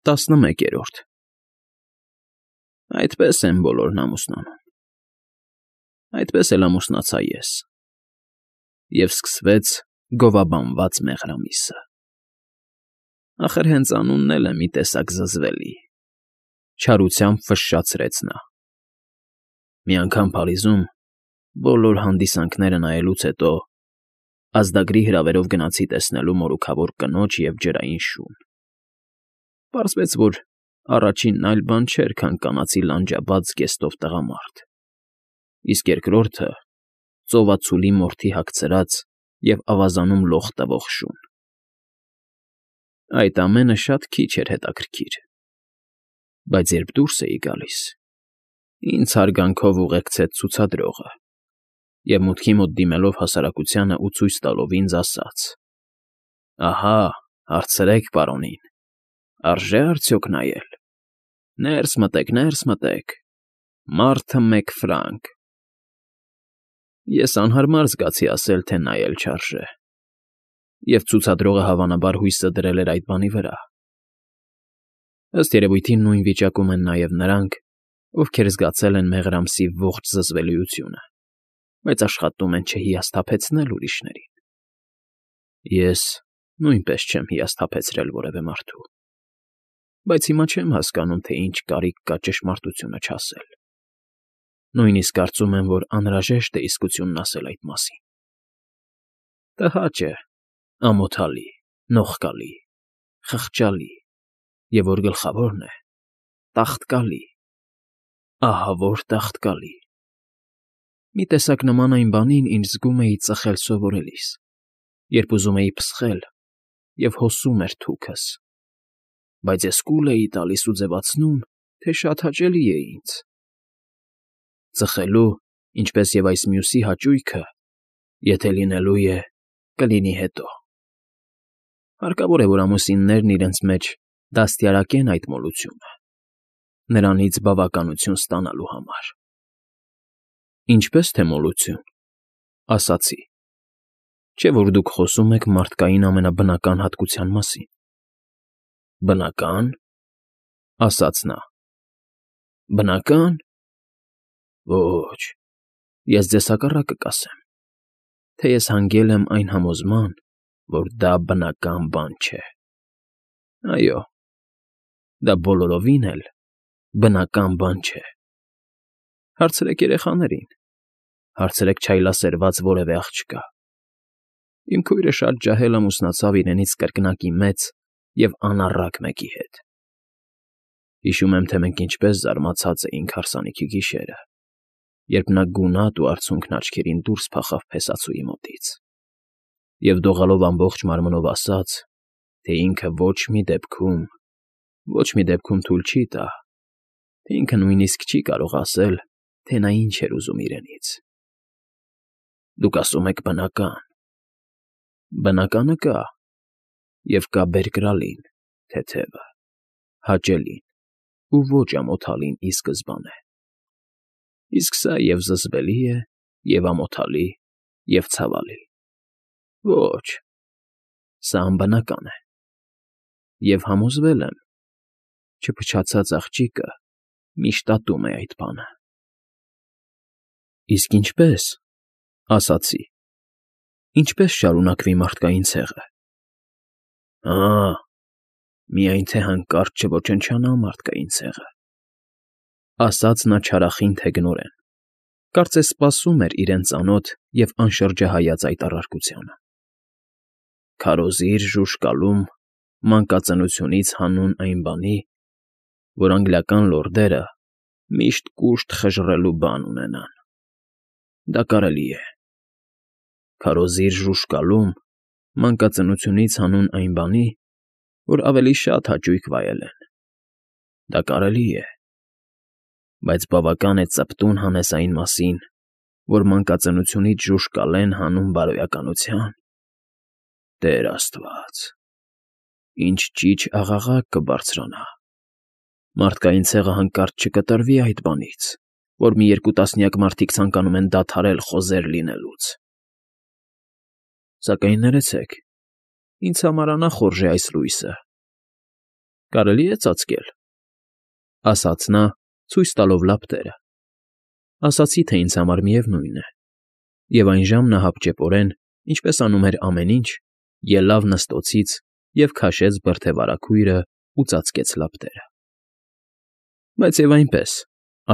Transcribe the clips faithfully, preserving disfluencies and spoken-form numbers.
Տասնմեկերորդ Այդպես են բոլորն ամուսնանում, այդպես էլ ամուսնացա ես, և սկսվեց գովաբանված մեղրամիսը, ախր հենց անունն էլ է մի տեսակ զզվելի,֊ չարությամբ ֆշշացրեց նա։ Մի անգամ Փարիզում, բոլոր հանդիսանքները նայելուց հետո, ազդագրի հրավերով գնացի տեսնելու մորուքավոր կնոջ և ջրային շուն. պարզվեց, որ առաջինն այլ բան չէր, քան կանացի լանջաբաց զգեստով տղամարդ, իսկ երկրորդը՝ ծովածուլի մորթի հագցրած և ավազանում լող տվող շուն։ Այդ ամենը շատ քիչ էր հետաքրքիր, բայց երբ դուրս էի գալիս, ինձ հարգանքով ուղեկցեց ցուցադրողը և, մուտքի մոտ դիմելով հասարակությանը ու ցույց տալով ինձ, ասաց. «Ահա, հարցրեք պարոնին, արժե՞ արդյոք նայել, ներս մտեք, ներս մտեք, մարդը մեկ ֆրանկ»։ Ես անհարմար զգացի ասել, թե նայել չարժե, և ցուցադրողը հավանաբար հույսը դրել էր այդ բանի վրա։ Ըստ երևույթին նույն վիճակում են նաև նրանք, ովքեր զգացել են մեղրամսի ողջ զզվելիությունը, բայց աշխատում են չհիասթափեցնել ուրիշներին։ Ես նույնպես չեմ հիասթափեցրել որևէ մարդու, բայց հիմա չեմ հասկանում, թե ինչ կարիք կա ճշմարտությունը չասել։ Նույնիսկ կարծում եմ, որ անհրաժեշտ է իսկությունն ասել այդ մասին։ Տհաճ է, ամոթալի, նողկալի, խղճալի և, որ գլխավորն է, տաղտկալի, ահավոր տաղտկալի։ Մի տեսակ նման այն բանին, ինչ զգում էի ծխել սովորելիս, երբ ուզում էի փսխել, և հոսում էր թուքս, բայց ես կուլ էի տալիս ու ձևացնում, թե շատ հաճելի է ինձ։ Ծխելու, ինչպես և այս մյուսի հաճույքը, եթե լինելու է, կլինի հետո։ Հարկավոր է, որ ամուսիններն իրենց մեջ դաստիարակեն այդ մոլությունը, նրանից բավականություն ստանալու համար։ Ինչպե՞ս թե մոլություն,֊ ասացի։ Չէ՞ որ դուք խոսում եք մարդկային ամենաբնական հատկության մասին։ Բնական,֊ ասաց նա։ Բնական… Ոչ, ես ձեզ հակառակը կասեմ, թե ես հանգել եմ այն համոզման, որ դա բնական բան չէ։ Այո, դա բոլորովին էլ բնական բան չէ։ Հարցրեք երեխաներին, հարցրեք չայլասերված որևէ աղջկա։ Իմ քույրը շատ ջահել ամուսնացավ իրենից կրկնակի մեծ և անառակ մեկի հետ։ Հիշում եմ, թե մենք ինչպես զարմացած էինք հարսանիքի գիշերը, երբ նա գունատ ու արցունքն աչքերին դուրս փախավ փեսացուի մոտից և դողալով ամբողջ մարմնով ասաց, թե ինքը ոչ մի դեպքում, ոչ մի դեպքում թույլ չի տա, թե ինքը նույնիսկ չի կարող ասել, թե նա ինչ էր ուզում իրենից։ Դուք ասում եք բնական… Բնականը կա, և կա բերկրալին, թեթևը, հաճելին ու ոչ ամոթալին ի սկզբանե։ Իսկ սա և՛ զզվելի է, և՛ ամոթալի, և՛ ցավալի։ Ոչ, սա անբնական է, և համոզվել եմ, չփչացած աղջիկը միշտ ատում է այդ բանը։ Իսկ ինչպե՞ս,֊ ասացի, ինչպե՞ս շարունակվի մարդկային ցեղը։ Հա՛, միայն թե հանկարծ չոչնչանա մարդկային ցեղը,֊ ասաց նա չարախինդ հեգնորեն, կարծես սպասում էր իրեն ծանոթ և անշրջահայաց այդ առարկությանը։ Քարոզիր ժուժկալում մանկածնությունից հանուն այն բանի, որ անգլիական լորդերը միշտ կուշտ խժռելու բան ունենան։ Դա կարելի է։ Քարոզիր ժուժկալում մանկածնությունից հանուն այն բանի, որ ավելի շատ հաճույք վայելեն։ Դա կարելի է։ Բայց բավական է ծպտուն հանես այն մասին, որ մանկածնությունից ժուժկալեն հանուն բարոյականության… Տեր աստված… Ինչ ճիչ աղաղակ կբարձրանա… Մարդկային ցեղը հանկարծ չկտրվի այդ բանից, որ մի երկու տասնյակ մարդիկ ցանկանում են դադարել խոզեր լինելուց… Սակայն ներեցեք, ինձ համար անախորժ է այս լույսը։ Կարելի է ծածկել,֊ ասաց նա, ցույց տալով լապտերը։ Ասացի, թե ինձ համար միևնույն է, և այն ժամն ահաբճեպորեն, ինչպես անում էր ամեն ինչ, ելավ նստոցից և քաշեց բրդեվարագույրն ու ծածկեց լապտերը։ Բայց և այնպես,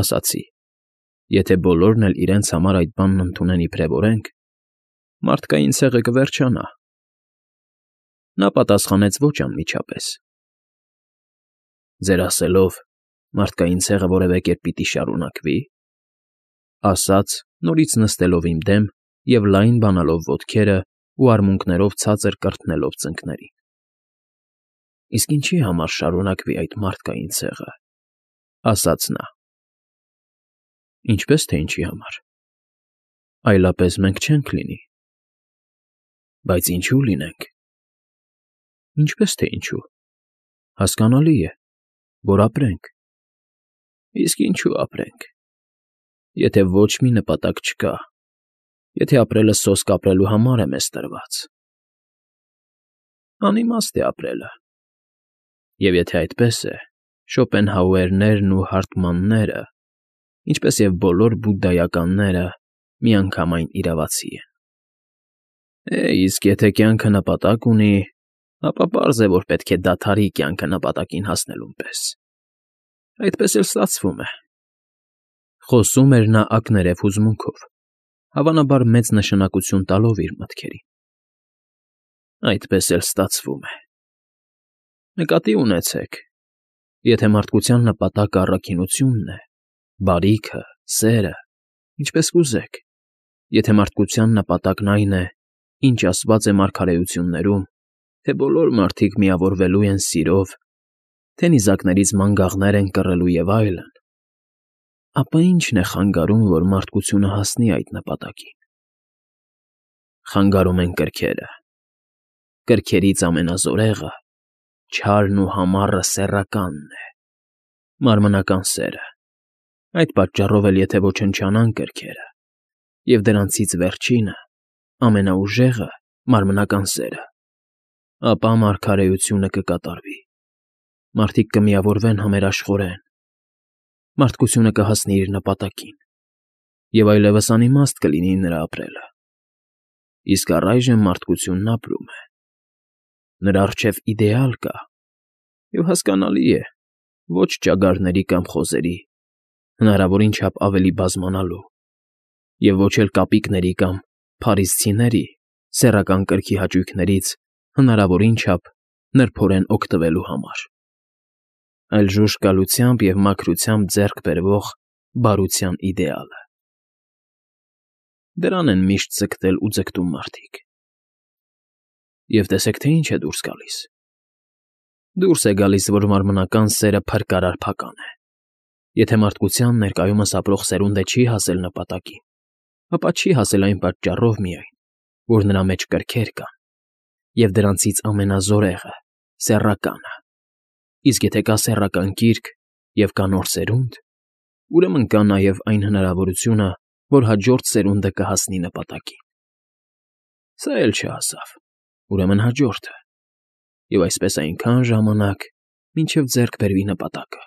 ասացի, եթե բոլորն էլ իրենց համար այդ բանն ընդունեն իբրև օրենք, մարդկային ցեղը կվերջանա։ Նա պատասխանեց ոչ անմիջապես. «Ձեր ասելով, մարդկային ցեղը որևէ կերպ պիտի շարունակվի,֊ ասաց, նորից նստելով իմ դեմ և լայն բանալով ոտքերն ու արմունկներով ցածր կրթնելով ծնկներին,֊ իսկ ինչի համար շարունակվի այդ մարդկային ցեղը,֊ ասաց նա։ Ինչպե՞ս թե ինչի համար, այլապես մենք չենք լինի։ Բայց ինչո՞ւ լինենք։ Ինչպե՞ս թե ինչու, հասկանալի է, որ ապրենք։ Իսկ ինչու ապրենք, եթե ոչ մի նպատակ չկա, եթե ապրելը սոսկ ապրելու համար է մեզ տրված։ Անիմաստ է ապրելը։ Եվ եթե այդպես է, Շոպենհաուերներն ու Հարթմանները, ինչպես և բոլոր բուդդայականները, միանգամայն իրավացի են։ Է, իսկ եթե կյանքը նպատակ ունի, ապա պարզ է, որ պետք է դադարի կյանքը նպատակին հասնելուն պես։ Այդպես էլ ստացվում է,֊ խոսում էր նա ակներև հուզմունքով, հավանաբար մեծ նշանակություն տալով իր մտքերին։ Այդպես էլ ստացվում է։ Նկատի ունեցեք, եթե մարդկության նպատակը առաքինությունն է, բարիքը, սերը, ինչպես կուզեք, եթե մարդկության նպատակն այն է, ինչ ասված է մարգարեություններում, թե բոլոր մարդիկ միավորվելու են սիրով, թե նիզակներից մանգաղներ են կռելու և այլն, ապա ի՞նչն է խանգարում, որ մարդկությունը հասնի այդ նպատակին։ Խանգարում են կրքերը։ Կրքերից ամենազորեղը, չարն ու համառը սեռականն է, մարմնական սերը։ Այդ պատճառով էլ եթե ոչնչանան կրքերը, և դրանցից վերջինը, ամենաուժեղը, մարմնական սերը, ապա մարգարեությունը կկատարվի, մարդիկ կմիավորվեն համերաշխորեն, մարդկությունը կհասնի իր նպատակին, և այլևս անիմաստ կլինի նրա ապրելը։ Իսկ առայժմ մարդկությունն ապրում է։ Նրա առջև իդեալ կա, և հասկանալի է, ոչ ճագարների կամ խոզերի, հնարավորին չափ ավելի բազմանալու, և ոչ էլ կապիկների կամ փարիսցիների սեռական կրքի հաճույքներից հնարավորին չափ նրբորեն օգտվելու համար, այլ ժուժկալությամբ և մաքրությամբ ձեռք բերվող բարության իդեալը։ Դրան են միշտ ձգտել ու ձգտում մարդիկ։ Եվ տեսեք, թե ինչ է դուրս գալիս։ Դուրս է գալիս, որ մարմնական սերը փրկարար փական է։ Եթե մարդկության ներկայումս ապրող սերունդը չի հասել նպատակին, ապա չի հասել այն պատճառով միայն, որ նրա մեջ կրքեր կան, և դրանցից ամենազորեղը՝ սեռականը։ Իսկ եթե կա սեռական կիրք և կա նոր սերունդ, ուրեմն կա նաև այն հնարավորությունը, որ հաջորդ սերունդը կհասնի նպատակին։ Սա էլ չհասավ, ուրեմն հաջորդը, և այսպես այնքան ժամանակ, մինչև ձեռք բերվի նպատակը,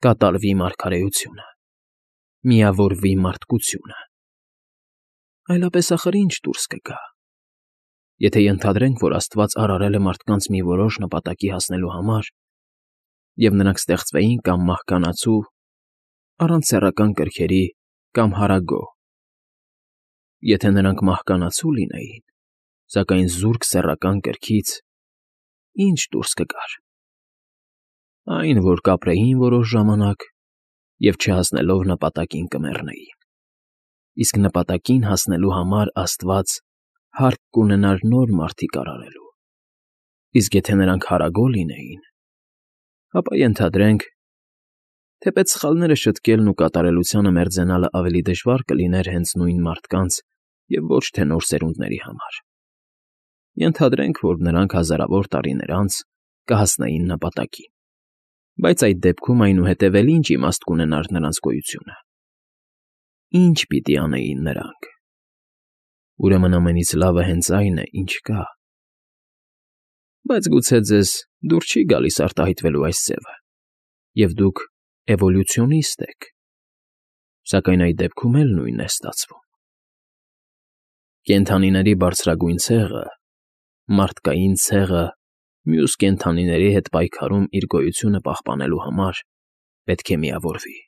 կատարվի մարգարեությունը, միավորվի մարդկությունը։ Այլապես ախր ի՞նչ դուրս կգա։ Եթե ենթադրենք, որ Աստված արարել է մարդկանց մի որոշ նպատակի հասնելու համար, և նրանք ստեղծվեին կամ մահկանացու, առանց սեռական կրքերի կամ հարագո, եթե նրանք մահկանացու լինեին, սակայն զուրկ սեռական կրքից, ի՞նչ դուրս կգար։ Այն, որ կապրեին որոշ ժամանակ և չհասնելով նպատակին կմեռնեին, իսկ նպատակին հասնելու համար Աստված հարկ կունենար նոր մարդիկ արարելու, իսկ եթե նրանք հարագո լինեին, ապա ենթադրենք, թեպետ սխալները շտկելն ու կատարելությանը մերձենալը ավելի դժվար կլիներ հենց նույն մարդկանց և ոչ թե նոր սերունդների համար։ Ենթադրենք, որ նրանք հազարավոր տարիներ անց կհասնեին նպատակին, բայց այդ դեպքում այնուհետև էլ ի՞նչ իմաստ կունենար նրանց գոյությունը։ Ի՞նչ պիտի անեին նրանք։ Ուրեմն ամենից լավը հենց այն է, ինչ կա։ Բայց գուցե ձեզ դուր չի գալիս արտահայտվելու այս ձևը, և դուք էվոլյուցիոնիստ եք, սակայն այդ դեպքում էլ նույնն է ստացվում. կենդանիների բարձրագույն ցեղը, մարդկային ցեղը մյուս կենդանիների հետ պայքարում իր գոյությունը պահպանելու համար պետք է միավորվի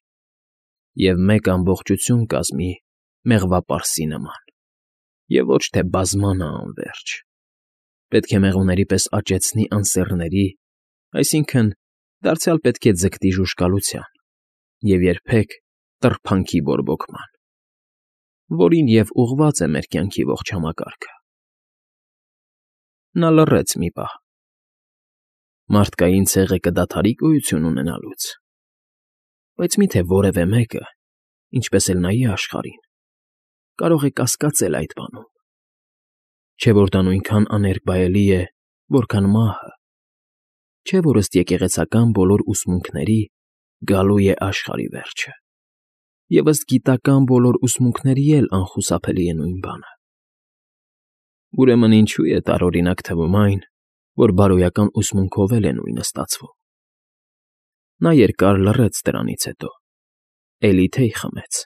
և մեկ ամբողջություն կազմի մեղվապարսի նման, և ոչ թե բազմանա անվերջ, պետք է մեղուների պես աճեցնի անսեռների, այսինքն՝ դարձյալ պետք է ձգտի ժուժկալության և երբեք տրփանքի բորբոքման, որին և ուղղված է մեր կյանքի ողջ համակարգը։ Նա լռեց մի պահ. Մարդկային ցեղը կդադարի գոյություն ունենալուց, բայց մի՞թե որևէ մեկը, ինչպես էլ նայի աշխարհին, կարող է կասկածել այդ բանում, չէ՞ որ դա նույնքան աներկբայելի է, որքան մահը, չէ՞ որ ըստ եկեղեցական բոլոր ուսմունքների գալու է աշխարհի վերջը, և ըստ գիտական բոլոր ուսմունքների էլ անխուսափելի է նույն բանը։ Ուրեմն ինչո՞ւ է տարօրինակ թվում այն, որ բարոյական ուսմունքով էլ է նույնը ստացվում։ Նա երկար լռեց դրանից հետո, էլի թեյ խմեց,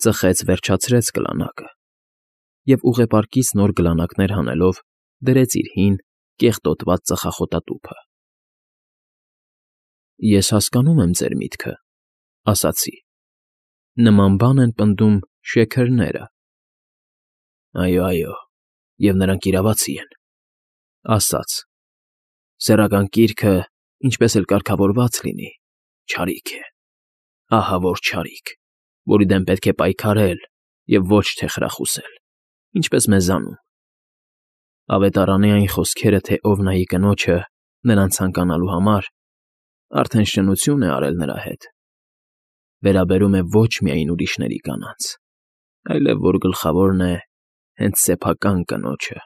ծխեց վերջացրեց գլանակը և ուղեպարկից նոր գլանակներ հանելով դրեց իր հին, կեղտոտված ծխախոտատուփը։ Ես հասկանում եմ ձեր միտքը, ասացի, նման բան են պնդում շեքերները։ Այո, այո, և նրանք իրավացի են, ասաց. սեռական կիրքը, ինչպես էլ կարգավորված լինի, չարիք է, ահավոր չարիք, որի դեմ պետք է պայքարել և ոչ թե խրախուսել, ինչպես մեզանում։ Ավետարանի այն խոսքերը, թե ով նայի կնոջը նրան ցանկանալու համար, արդեն շնություն է արել նրա հետ, վերաբերում է ոչ միայն ուրիշների կանանց, այլև որ գլխավորն է հենց սեփական կնոջը։